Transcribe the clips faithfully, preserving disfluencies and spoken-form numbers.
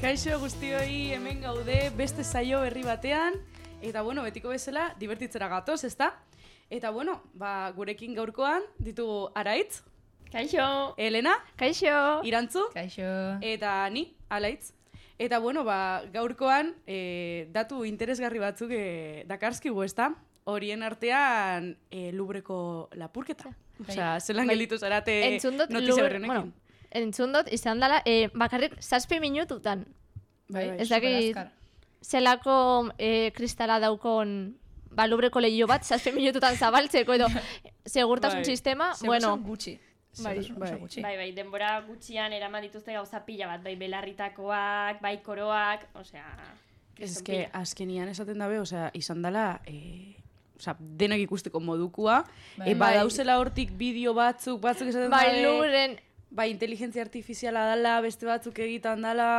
Kaixo guztioi, hemen gaude beste saio berri batean, eta bueno, betiko bezala, divertitzera gatoz, ezta? Eta bueno, ba, gurekin gaurkoan ditugu Araitz. Kaixo. Elena. Kaixo. Irantzu. Kaixo. Eta ni, Alaitz. Eta bueno, ba, gaurkoan e, datu interesgarri batzuk e, dakarskigu, ezta? Horien artean e, Lubreko lapurketa. Osea, zelan gelditu zarate notizia berri honekin. Bueno, entzundot, izan dela, e, bakarrik zazpi minututan. Bai, bai, ez dakit, zelako e, kristala daukon ba, Lubreko lehio bat, zazpi minututan zabaltzeko edo segurtasun bai. sistema, Segurtasun bueno. gutxi. Bai, bai. gutxi. Bai, bai, denbora gutxian eraman dituzte gauza pila bat, bai belarritakoak, bai koroak, osea... Ez que azkenian esaten dabe, osea, izan dela, e, osea, denak ikusteko modukua, Bai. e, badauzela hortik bideo batzuk, batzuk esaten Bai, dabe, Lubren, bai, inteligentzia artifiziala dala, beste batzuk egitan dala...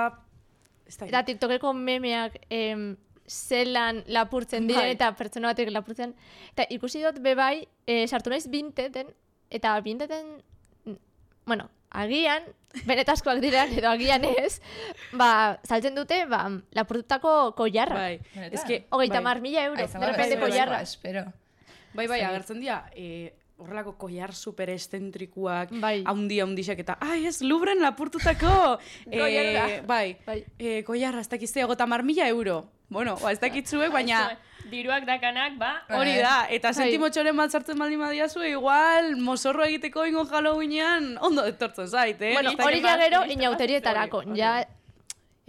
Ez da, eta TikTokeko memeak em, zelan lapurtzen diren Bai. eta pertsona batek lapurtzen. Eta ikusi dut bebai, e, sartu naiz binteten, eta binteten, bueno, agian, benetazkoak diren edo agian ez, ba, saltzen dute, ba, lapurtutako koiarra. bai, Benetan? ez que... Hogeita bai. mar mila euro, Ai, de repente bai, bai, koiarra. Espero. Bai, bai, Zer. agertzen dira, e, horrelako koiar super estentrikuak, Bai. haundi haundixak eta, ai, ez Lubren lapurtutako! Koiarra. bai, Bai. E, koiarra, ez dakizte, ogota mar mila euro. Bueno, ba, ez dakitzuek, baina... Diruak dakanak, ba, Hori da, eta Bai. sentimotxoren bat sartzen baldin badiazu, igual, mozorro egiteko ingo Halloweenean ondo etortzen zait, eh? Bueno, Listak hori eman- ja gero listak inauterietarako. hori, hori. Ja,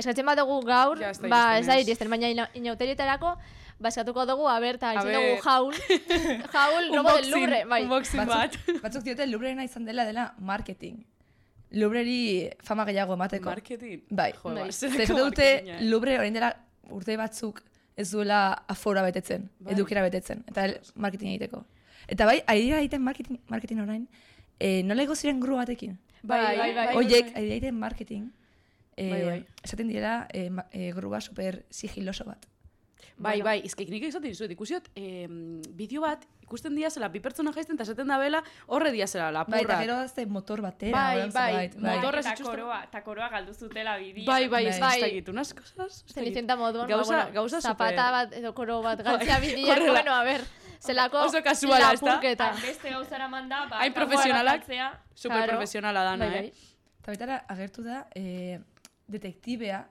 eskatzen bat dugu gaur, Ja, ez da ba, iristen, ez da ez. iristen, baina ina- inauterietarako, ba, eskatuko dugu, a ber, eta A izan ber. dugu jaul, jaul, robo del Louvre, bai. Unboxing bat. Batzuk, batzuk diote Lubrena izan dela dela marketing. Lubreri fama gehiago emateko. Marketing. Bai. Jo, Bai. ba, Zer zelako dute marketinga, eh? Lubre orain dela urte batzuk ez duela afora betetzen, Bai. edukera betetzen, eta el- marketing egiteko. Eta bai, ari dira egiten marketing, marketing orain, e, nola ego ziren gru batekin? Bai, bai, bai. Oiek, ari dira egiten marketing, e, Bai, bai. esaten direla e, ma- e, grua super sigiloso bat. Bai, bai, izkek nik esaten dizuet, ikusiot, eh, bideo bat, ikusten diazela, bi pertsona jaizten, eta esaten da bela, horre diazela, Bai, eta lapurrak. gero dazte motor batera. Bai, holan bai, zerbait, bai. motor- Torres eta itxusten- koroa, eta koroa galdu zutela bidea. Bai, bai, ez Bai. da egit, unas cosas... ez dakit. Zenizenta moduan, Gauza, ba, bueno, gauza zapata super... bat edo koro bat galtzea Bai, bidean, horrela. bueno, a ber, zelako Oso kasuala, ez da? lapurketa. Beste gauzara manda, ba, Hain kanpoan profesionalak, galtzea. super Claro. profesionala dana, Bai, bai. eh? Eta baitara agertu da, e, detektibea,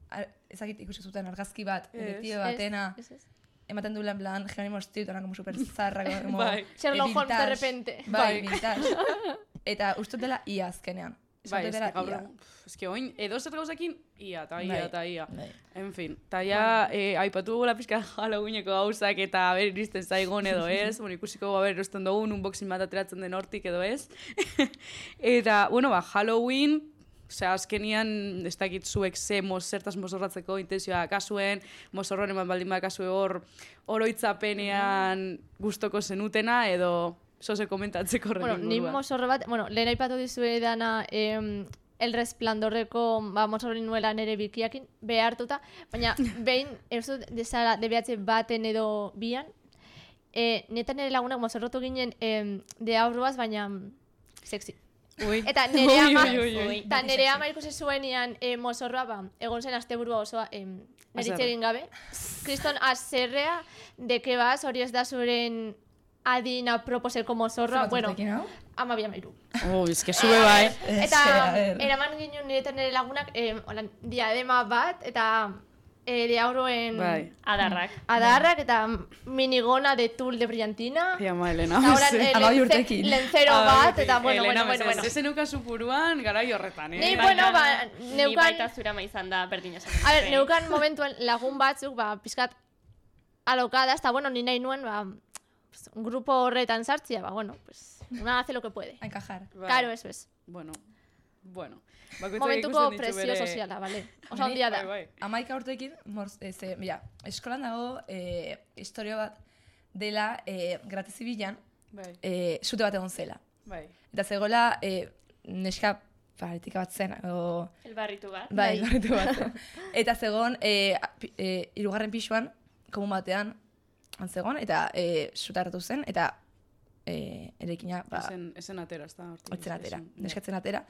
ar- ezagit ikusi zuten argazki bat, Ez. detektibe batena, Ez, ez. ematen duela en plan, Jerónimo Street, como super zarra, como... Bai. Sherlock eh, Holmes de vintage. repente. Bai, Bai. vintage. Eta uste dela ia azkenean. Bai, Uste ez dela que gaur ia. egun, pff, ez que oin, edo zer gauzekin, ia, eta ia, Bai, eta ia. bai. En fin, eta ja, eh, aipatu dugu la pizka Halloweeneko gauzak, eta ber, iristen zaigon edo ez, bueno, ikusiko ber, erosten dugun, unboxing bat ateratzen den hortik edo ez. Eta, bueno, ba, Halloween, osea, azkenian, ez dakit zuek ze mos, zertaz mozorratzeko intenzioa kasuen, mozorroren bat baldin bakasue hor, oroitzapenean gustoko zenutena, edo zoze komentatzeko horren Bueno, ni inguruan. mozorro bat, bueno, lehen aipatu dizue dana em, El Resplandorreko ba, mozorro nuela nere bikiakin behartuta, baina behin, ez dut desala debeatze baten edo bian, e, neta nire lagunak mozorrotu ginen em, de aurruaz, baina mm, sexy. Ui. Eta nire Ui, ama, ui, ui, ui. eta nire ama ikusi zuenean e, mozorroa, ba, egon zen asteburua osoa em, neritze Haserre. egin gabe. Kriston azerrea, de que vas, hori ez da zuren adina proposeko mozorroa, Zer bueno, batzutekin, hau? ama biamairu. Oh, ez que sube bai. Ez, Eta a ver. eraman ginen nire eta nire lagunak em, holan, diadema bat, eta e, de aurroen Bai. Adarrak. adarrak, eta minigona de tul de brillantina. Ia ma, Elena. Eta horan, mese. eh, Amabi lence- urtekin. Lentzero Ah, bat, bai, eta bueno, Elena, bueno, bueno, mesedez, bueno. ez zenuka zupuruan, garai horretan, eh? Ni, Bai, bueno, ba, Ni neukan, baita zurama izan da berdina esan. a ver, neukan momentuan lagun batzuk, ba, pizkat alokada, hasta bueno, ni nahi nuen, ba, pues, un grupo horretan sartzia, ba, bueno, pues, una hace lo que puede. A encajar. Bai. Claro, eso es. Bueno, bueno. Bakoitzak Momentuko ikusten ditu presio bere- soziala, vale. Osa handia da. Bai, bai. Amaika urtekin, morz, ez, e, mira, eskolan dago e, historia bat dela e, grate zibilan Bai, e, sute bat egon zela. bai. Eta zegoela e, neska paritika bat zen, o, Elbarritu bat. bai, barritu bat zen. Eta zegoen e, pi- e, hirugarren pisuan, komun batean, zegoen, eta e, suta hartu zen, eta e, erekina, ba, Esen, esen atera, ez da? hortik. otzen atera, Esen, neskatzen atera.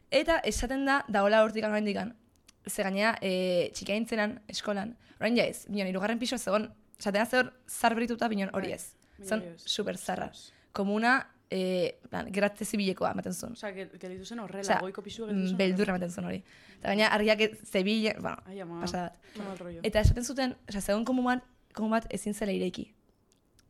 Eta esaten da, dagoela hortik oraindikan ze gainea, e, txikia nintzenan, eskolan, orain ja ez, bion, irugarren piso zegoen, esatena zehor zarberituta bion hori ez. Zon, super zarra. Komuna, e, plan, geratze zibilekoa ematen zuen. Osa, gelitu zen horrela, Osea, goiko pisua gelitu zen. beldurra ematen zuen hori. Eta gaina, argiak zebile, bueno, Ai, ama, pasadat. qué mal rollo. Eta esaten zuten, osea, zegoen komun komun bat ezin zela ireiki.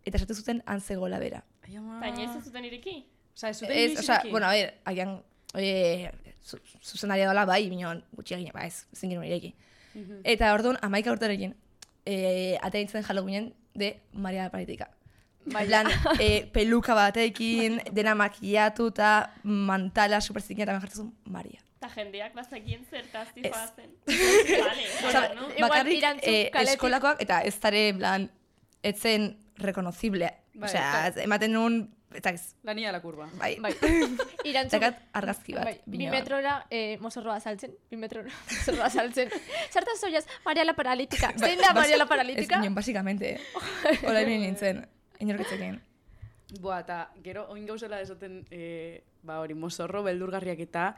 Eta esaten zuten antzegola bera. Ai, ama. Baina ez zuten ireki? Osa, ez zuten Ez, inoiz osea, ireki? bueno, a ver, agian, oie, zu, zuzendaria dola bai, bineon, gutxiagin, ba ez, ezin genuen ireiki. Mhm. Eta orduan, amaika urterekin, e, ateintzen Halloweenen de Maria la Paralitika. Bai, plan, e, peluka batekin, dena makiatuta, mantala, superzikin, eta ben jartzen Maria. Eta jendeak bazakien zertaz Ez. zijoazen. Vale, Osea, bueno, no? Igual bakarrik irantzun eh, kaletik. eskolakoak, eta ez dare, en plan, etzen reconocible. Bai, Osea, bai. ematen nun, eta ez, La niña de la curva. bai, Bai. Irantzun, Zakat argazki bat. bai, bi bino bat. metrora eh, mozorroa saltzen, bi metrora mozorroa saltzen. Zertaz zoiaz, Maria la Paralítica. Ba- Zein da bas- Maria la Ez Paralítica? ginen, basikamente. Hola ibili nintzen, inorketzekin. Boa, eta gero, oin gauzela esaten, e, ba hori, mozorro, beldurgarriak eta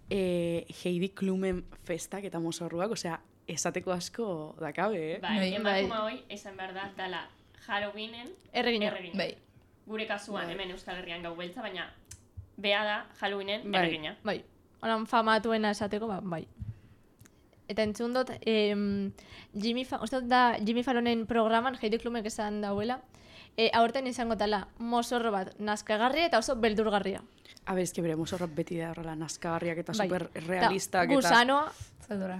e, Heidi Klumen festak eta mozorruak, osea, esateko asko dakabe, eh? Bai, Bai. emakuma hoi, esan behar da, dala Halloweenen Erregina. erregina. Bai. Gure kasuan, Bai. hemen Euskal Herrian gau beltza, baina bea da Halloweenen Bai. erregina. Bai, holan famatuena esateko, ba, bai. Eta entzun dut, em, Jimmy, Fa uste dut da Jimmy Fallonen programan, Heidi Klumek esan dauela, e, aurten izango tala mozorro bat nazkagarria eta oso beldurgarria. Habe, eske bere mozorrak beti da horrela nazkagarriak eta Bai. super realistak Ta eta... Gusanoa Zaldura.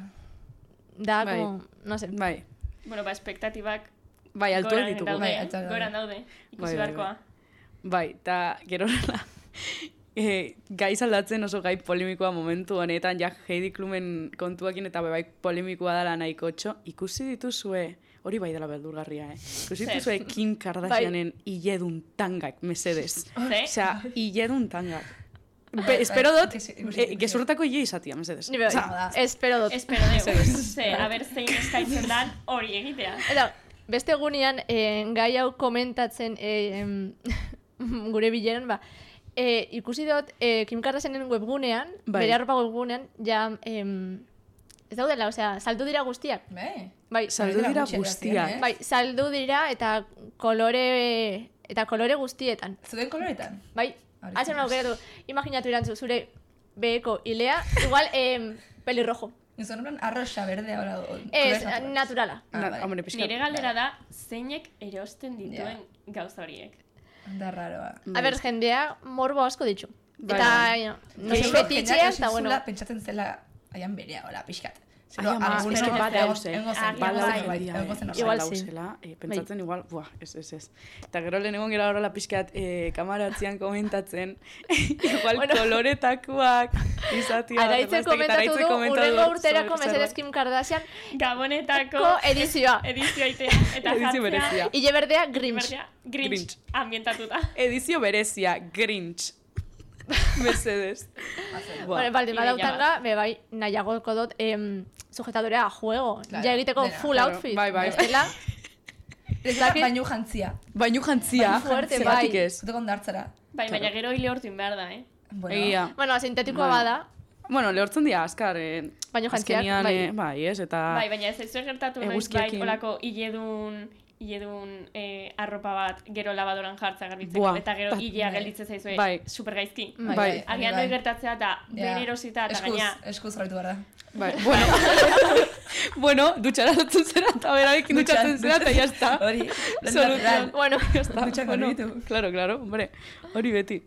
da, Bai. como, no sé. Bai, Bueno, ba, espektatibak bai, altuak goran ditugu. daude, Bai, altuak daude. goran daude, ikusi Bai, bai, beharkoa. Bai, eta gero horrela, e, gai aldatzen oso gai polemikoa momentu honetan, ja Heidi Klumen kontuakin eta bai polemikoa dela nahiko txo, ikusi dituzue, hori bai dela beldurgarria, eh? Ikusi Zer? dituzue Kim Kardashianen iledun tangak, mesedez. Ze? Osea, iledun tangak. Be, bai, espero dut, ikusi- ikusi- eh, gezurtako ile izatia, mesedez. Ni bai, Osea, espero dut. Espero dugu, ze, haber zein eskaintzen dan hori egitea. Eta, beste egunean, eh, gai hau komentatzen eh, em, gure bileran, ba, eh, ikusi dut eh, Kim Kardashianen webgunean, Bai. bere arropa webgunean, ja, em, ez daudela, osea, saldu dira guztiak. Bai. Bai, Saldu dira gutxi guztiak. adierazi, eh? bai, saldu dira eta kolore, eta kolore guztietan. Zuden koloretan? Bai, Hori hatzen zen. aukeratu, imaginatu irantzu, zure beheko ilea, igual em, pelirrojo. Nizuen en plan arroxa, berdea, hola. Ez, kolores naturales. naturala. Ah, Na, bai. hombre, pixkat. Nire galdera da, zeinek erosten dituen gauza horiek. Da raroa. A ber, jendea morbo asko ditxu. Bai, Eta, bai. no sé, Seguro fetitxea, jendeak eta bueno. zula pentsatzen zela aian berea, hola, pixkat. Ai, ama, algunos eske que bat egon- dauz, eh? egongo zen, Agian egongo bai, zen, bai, egongo zen, Igual oso. sí. dauzela, eh, pentsatzen igual, buah, ez, ez, ez. Eta gero lehen egon gara horrela pixkat eh, kamaratzean komentatzen, igual Bueno. koloretakoak izatia. Araitzen komentatu du, urrengo urterako mesedez Kim Kardashian Gabonetako ko edizioa. edizioa itea, eta Edizio jartzea, berezia. Ile berdea, Grinch. berdea, Grinch, Grinch. ambientatuta. Edizio berezia, Grinch. Mesedez. Bueno, baldin Ideia badautanga, be bai, nahiagoko dut em, sujetadorea a juego. Claro, Ja egiteko dena, full claro, outfit. bai, bai. Bestela, Ez da bainu jantzia. Bainu jantzia, Bainu fuerte, zergatik bai. ez. Zuteko ondartzara. Bai, baina gero hile hortuin behar da, eh? Bueno, Egia. bueno, sintetikoa Bai. bada, Bueno, lehortzen dira, azkar, eh, Bainu jantziak, azkenian, bai. eh, bai, ez, eta... Bai, baina ez ez gertatu noiz Eguzkiekin. bai olako hiledun hiledun eh, arropa bat gero labadoran jartza garbitzeko Buah, eta gero bat- hilea bai. gelditzen zaizue Bai. super gaizki. Bai. Bai. Agian bai. noi gertatzea eta Ja. bere erosita eta Eskuz, gaina eskuz jarritu behar da. Bai, bueno, bueno, dutxara lotzen zera eta berarekin dutxatzen zera eta ya está. Hori, Solución. bueno, Ya está. Dutxak Bueno, garbitu. claro, claro, hombre, hori beti.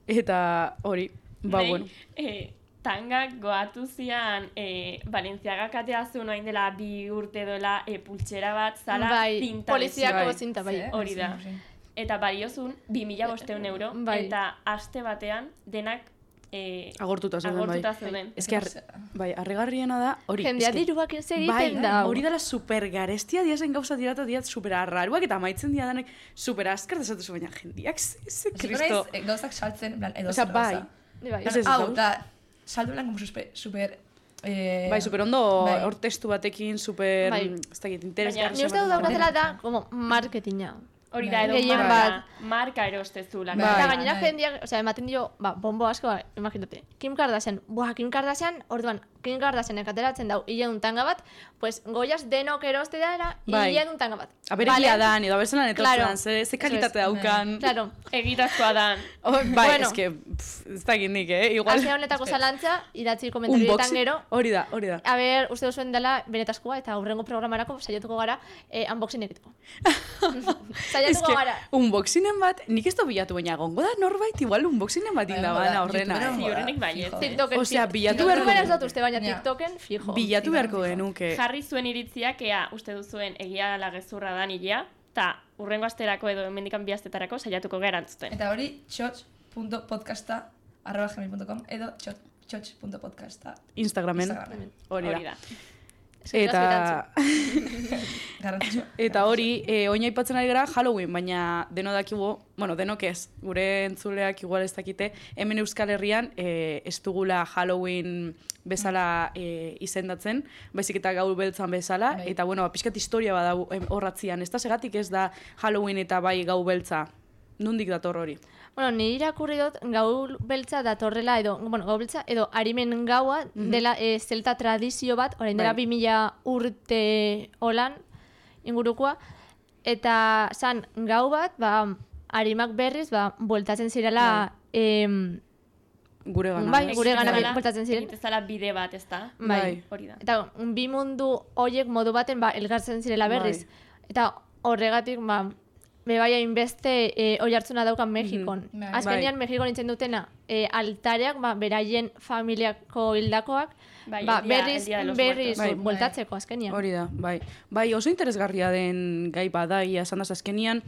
Eta hori, ba, Nei, bueno. eh, tangak goatu zian eh, Balenciagak atea zuen orain dela bi urte dola eh, pultsera bat zala bai, zinta poliziako bai. zinta, bai. Ze? Hori da. Sí, sí. eta baliozun bi mila bosteun euro Bai. eta aste batean denak eh, Agortuta zeuden, bai. agortuta zeuden. Ez que, ar- bai, harrigarriena da, hori. Jendea eske- diruak ez egiten Bai, da. hori dela super garestia diazen gauza dirata diat super arraruak eta amaitzen dia danek super askar desatuzu, baina jendiak ze, ze Hasiko kristo. naiz, eh, gauzak saltzen, en plan, edo Osea, zer bai. gauza. Bai. Ez, ez, Hau, ez, da, saldu lan como super, super eh, Bai, super ondo bai. hor testu batekin, super, Bai. ez dakit, interesgarri. Ni uste dut daukatela da, como, marketinga. Hori da, edo Gehien marka, bat. marka erostezula. Bai. Eta gainera bai. jendeak, osea, ematen dio, ba, bombo asko, ba, imaginate. Kim Kardashian, buah, Kim Kardashian, orduan, Kim Kardashianek ateratzen dau hileun tanga bat, pues goiaz denok eroste dara, Bai. hileun tanga bat. Aberekia dan, edo abertzelan Claro. etortzen, ze, ze kalitate Eso daukan. Claro. Egitazkoa da. Oh, bai, Bueno. eske, pff, ez dakit nik, eh? Igual. Asia honetako zalantza, idatzi komentarioetan Unboxing. gero, Hori da, hori da. a ber, uste duzuen dela benetazkoa eta aurrengo programarako saiatuko gara eh, unboxing egiteko. Saiatuko Eske, gara. unboxingen bat, nik ez da bilatu, baina gongo da norbait, igual unboxingen bat indaban aurrena. YouTuberen eh? Ziurrenik baietz. TikToken. Osea, fi- bilatu TikToken beharko ez dut uste, baina Ja. TikToken fijo. Bilatu beharko genuke. Jarri zuen iritziak, ea, uste duzuen egia ala gezurra da nilea, eta urrengo asterako edo hemendikan bi astetarako saiatuko gara erantzuten. Eta hori txotx.podcasta arroba gmail punto com edo txotx.podcasta Instagramen. Instagramen. Hori Hori da. da. Eta, Garrantzitsua. eta hori, e, oin aipatzen ari gara Halloween, baina deno dakigu, bueno, denok ez, gure entzuleak igual ez dakite, hemen Euskal Herrian e, ez dugula Halloween bezala e, izendatzen, baizik eta gaur beltzan bezala, Bai. eta bueno, pixkat historia badau em, horratzian, ez da segatik ez da Halloween eta bai gau beltza, nundik dator hori? Bueno, nire irakurri dut gau beltza datorrela edo, bueno, gau beltza edo arimen gaua dela e, zelta tradizio bat, orain dela Bai. bi mila urte holan ingurukoa, eta zan gau bat, ba, arimak berriz, ba, bueltatzen zirela, em, Gure gana. Bai, ez? gure gana Egitezala- bueltatzen ziren. egitezala bide bat, ez da? Bai. Hori da. Eta bi mundu hoiek modu baten ba, elgartzen zirela berriz. Eta horregatik, ba, bebai hainbeste e, oi hartzuna daukan Mexikon. Bai. Azkenean, Mexikon nintzen dutena, e, altareak, ba, beraien familiako hildakoak, Bai, ba, el día- berriz, el día de los berriz muertos. Bai. bueltatzeko azkenean. Hori da, bai. Bai, oso interesgarria den gai bada, ia esan daz azkenian,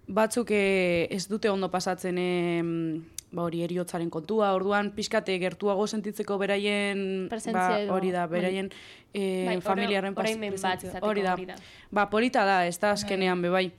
batzuk eh, ez dute ondo pasatzen em, ba, hori eriotzaren kontua, orduan pixkate gertuago sentitzeko beraien, Presentzia ba, edo, hori da, bai. beraien eh, Bai, familiaren pas- oraimen bat presentzia. izateko Hori da. hori da. Ba, polita da, ez da azkenean, be bai.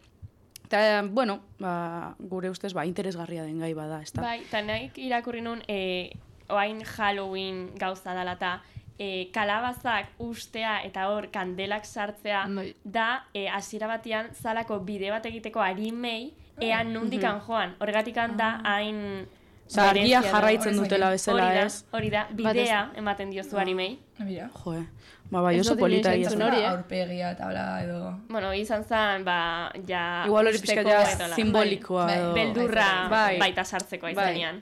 Eta, bueno, ba, gure ustez, ba, interesgarria den gai bada, ez da. Bai, eta nahi irakurri nun, e, oain Halloween gauza dela eta e, kalabazak ustea eta hor kandelak sartzea Bai. da e, hasiera batean zalako bide bat egiteko arimei ean nundikan joan. Horregatikan da hain... Osa, argia berezia jarraitzen Hori dutela da. bezala, hori da, ez? hori da, bidea ematen diozu arimei. Mira. Jo, eh. Ba, bai, Ez oso dut polita inoiz egia entzun esan. hori, eh? Aurpegia eta hola edo... Bueno, izan zen, ba, ja... Igual hori pixka usteko ja edo la- simbolikoa Bai, edo... Beldurra Bai. baita sartzeko Bai. izanean.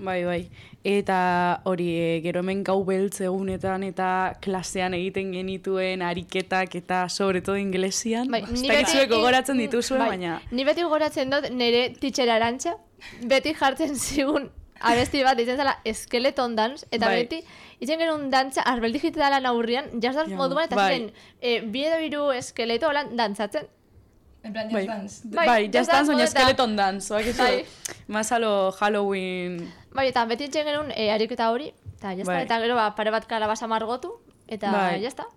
Bai, bai. Eta hori, e, gero hemen gau beltz egunetan eta klasean egiten genituen ariketak eta sobre todo inglesian. Bai, Ba, ni ez dakit beti- zuek gogoratzen dituzue, bai, baina... Ni beti gogoratzen dut nire teacher Arantxa, beti jartzen zigun abesti bat ditzen zela Skeleton Dance, eta Bai. beti itzen genuen dantza arbel digitalan aurrian, jazz dance Ja, moduan, eta bai. ziren e, bi edo hiru eskeleto holan dantzatzen. En plan, Bai, Just Dance. Bai, bai, just just dance, baina dance skeleton dance, oak Bai. Más a lo Halloween... Bai, eta beti itzen genuen e, ariketa hori, eta jazta, Bai. eta gero ba, pare bat kalabasa margotu, eta Bai. jazta.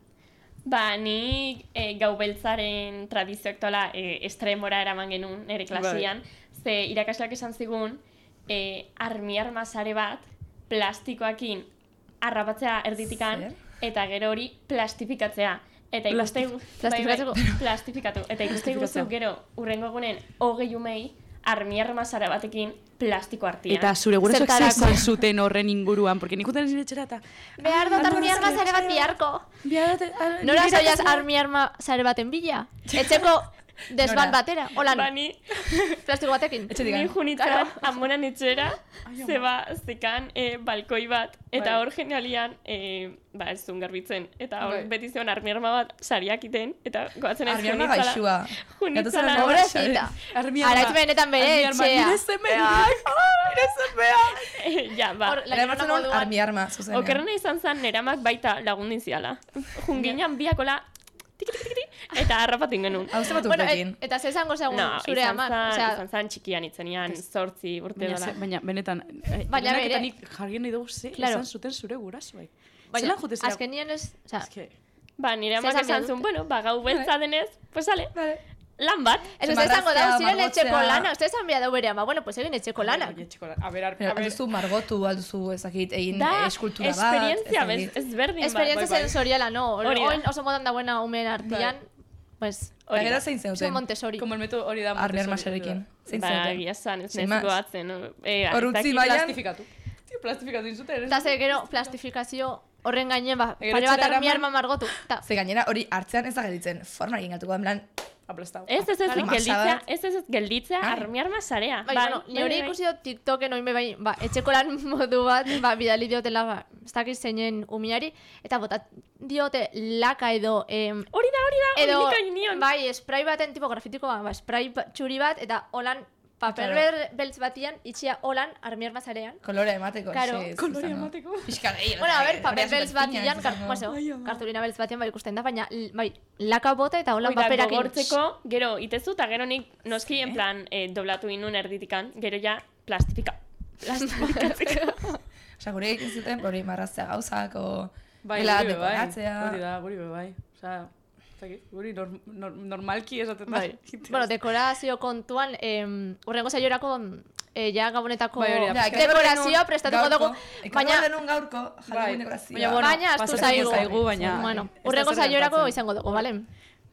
Ba, ni e, gau beltzaren tradizio aktuala e, estremora eraman genuen nire klasian, ze irakasleak esan zigun, e, armi-arma sare bat plastikoakin arrapatzea erditikan, Zer? eta gero hori plastifikatzea. Eta ikuste gu- Plastifikatzeko? bai, bai, plastifikatu. Eta ikuste Plastifikatzea. guzu gero urrengo egunen hogei umei armi-arma sare batekin plastiko artian. Eta zure gurasoak zer Zertarako? esan zuten horren inguruan, porque nik uten nire etxera eta... Behar dut armi arma zare bat biharko. Nora zoiaz armi arma zare baten bila? Etxeko desban Nora? batera, holan, Bani, plastiko batekin. Etxe ni digan. junitzen amonan etxera, zeba zekan e, balkoi bat, eta Bai. hor genialian, e, ba ez zuen garbitzen, eta hor Bai. beti zion armi-arma bat sariak iten, eta goatzen ez Armi-arma gaixua. junitzala, Gatozen Pobrecita. Araitz benetan bere etxea. Nire zemeak, nire zemeak. ja, ba, Hor, Era batzen hon moduan- armi arma, zuzenean. okerrena izan zen neramak baita lagundin ziala. Junginan biakola, tiki tiki tiki, eta harrapatin genuen. Hau ze bat Bueno, urtekin. et, eta ze esango zegoen No, zure izan amak. zen, Osea, izan zen txikian itzenean, zortzi urte Baina, dola. ze- baina benetan, eh, Baina denak eta bere- nik jarri nahi dugu ze Claro. esan zuten zure gurasoek. baina, Zelan jute zera? azkenian ez, osea, Eske, Ba, nire Zer amak esan behar esan dute? zuen, bueno, ba, gau beltza denez, pues sale, Vale. lan bat. ez uste esango da, Marraztea, ziren etxeko margotzea. lana, uste esan behar da bere ama, bueno, pues egin etxeko lana. Oie, txiko lan. A ber, a Pero, ber, alduzu margotu, alduzu ezakit, egin Da, eskultura bat. esperientzia ez dakit. bez, ezberdin bat. Esperientzia bai, bai. sensoriala, no? Hori da. Oin oso modan dagoena umeen artian, pues, Eta gero zein Zuen zeuten? Montessori. Como el método hori da Armiar Montessori. masarekin. Zein Ba, zeuten? egia esan, ez Sin nezik más. goatzen. no? Eh, Hor ez utzi dakit- baian- Plastifikatu. Tio, plastifikatu inzuten. Eta ze gero plastifikazio horren gainen, ba, Gero pare bat etxera armiar eraman- margotu. Ta, Ze gainera hori hartzean ez da gelditzen, forma egin gatuko, en plan, Aplastado. Ez, ez, ez, Masa gelditzea, bat. ez, ez, ez, gelditzea Ai. armiar masarea. bai, bueno, ni hori ikusi dut TikToken oin bai, ba, etxeko lan modu bat, ba, bidali diotela, ba, ez dakit zeinen umiari, eta botat diote laka edo, em, Hori da, hori da, edo, hori nik nion. bai, spray baten tipo grafitiko, ba, spray ba- txuri bat, eta holan, paper Claro. ber, beltz batian, itxia holan armiar masarean. kolorea emateko. Claro. xe, ez Kolorea izango. emateko. Pixka gehi. Bueno, a ver, paper hori beltz super fina, batian, ez kar, izango. bueno, Ai, ama. kartulina beltz batian, bai, ikusten da, baina, l- bai, laka bota eta holan Hoi da, paperakin. gogortzeko, gero, itezu, eta gero nik noski, en plan, eh, doblatu inun erditikan, gero ja, plastifika. Plastifikatzeko. Osa, gure egin zuten, hori marraztea gauzak, o... Bai, gela guri be bai. dekoratzea. Hori da, guri be bai. Osea, ez dakit, guri norm, norm, normalki esaten da. Bai. Bueno, dekorazio kontuan, em, urrengo saiorako eh, ja gabonetako Bai, hori da. Ja, ekarri dekorazioa genuen prestatuko gaurko, dugu, ekarri baina, genuen gaurko, Bai. Halloween dekorazioa. Baina, bueno, baina astu pasatzen zaigu. zaigu, baina- bueno, ez da urrengo zer saiorako gertatzen. izango dugu, bale?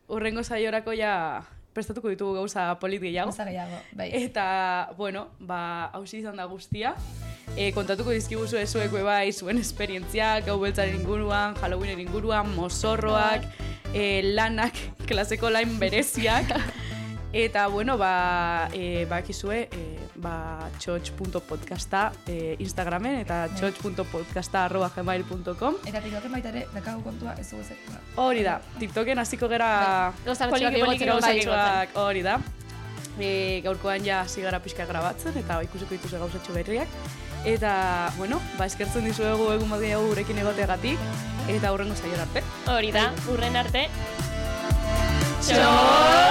Urrengo saiorako ja prestatuko ditugu gauza polit gehiago. Gauza gehiago, bai. Eta, bueno, ba, hausi izan da guztia. E, kontatuko dizkiguzu ezueko bai zuen esperientziak, gau beltzaren inguruan, Halloweenen inguruan, mozorroak, e, lanak, klaseko lain bereziak. Eta, bueno, ba, e, bakizue, e, ba, txotx punto podcasta e, Instagramen eta txotx punto podcasta arroba gmail punto com. Eta TikToken baita ere, dakagu kontua ez dugu zer. Hori da, TikToken hasiko gera Gauza Poliki, txoak poliki igotzen, gauzak bai. igotzen. hori da. E, gaurkoan ja hasi gara pixka grabatzen eta ikusiko dituzu gauzatxo berriak. Eta, bueno, ba, eskertzen dizuegu egun bat gehiago gurekin egoteagatik eta hurrengo saiora arte. Hori da, urren arte. Txo!